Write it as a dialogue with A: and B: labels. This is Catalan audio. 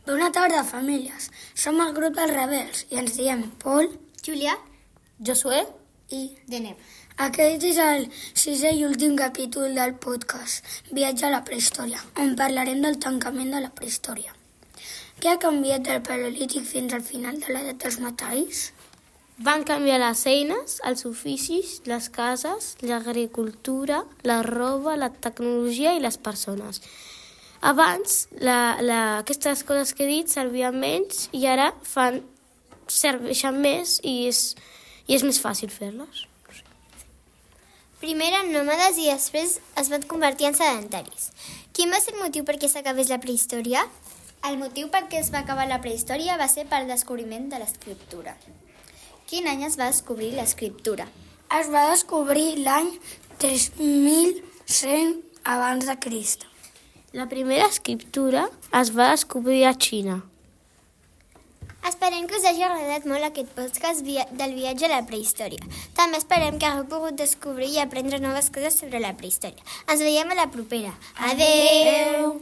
A: Bona tarda, famílies. Som el grup dels rebels i ens diem Pol,
B: Julià,
C: Josué
A: i...
B: Deneb.
A: Aquest és el sisè i últim capítol del podcast Viatge a la prehistòria, on parlarem del tancament de la prehistòria. Què ha canviat del paleolític fins al final de l'edat dels metalls?
C: van canviar les eines, els oficis, les cases, l'agricultura, la roba, la tecnologia i les persones. Abans, aquestes coses que he dit servien menys i ara serveixen més i és més fàcil fer-les.
B: Primer eren nòmades i després es van convertir en sedentaris. Quin va ser el motiu perquè s'acabés la prehistòria? El motiu perquè es va acabar la prehistòria va ser pel descobriment de l'escriptura. Quin any es va descobrir l'escriptura?
A: Es va descobrir l'any 3100 abans de Crist.
C: La primera escriptura es va descobrir a Xina.
B: Esperem que us hagi agradat molt aquest podcast del viatge a la prehistòria. També esperem que hagueu pogut descobrir i aprendre noves coses sobre la prehistòria. Ens veiem a la propera. Adeu!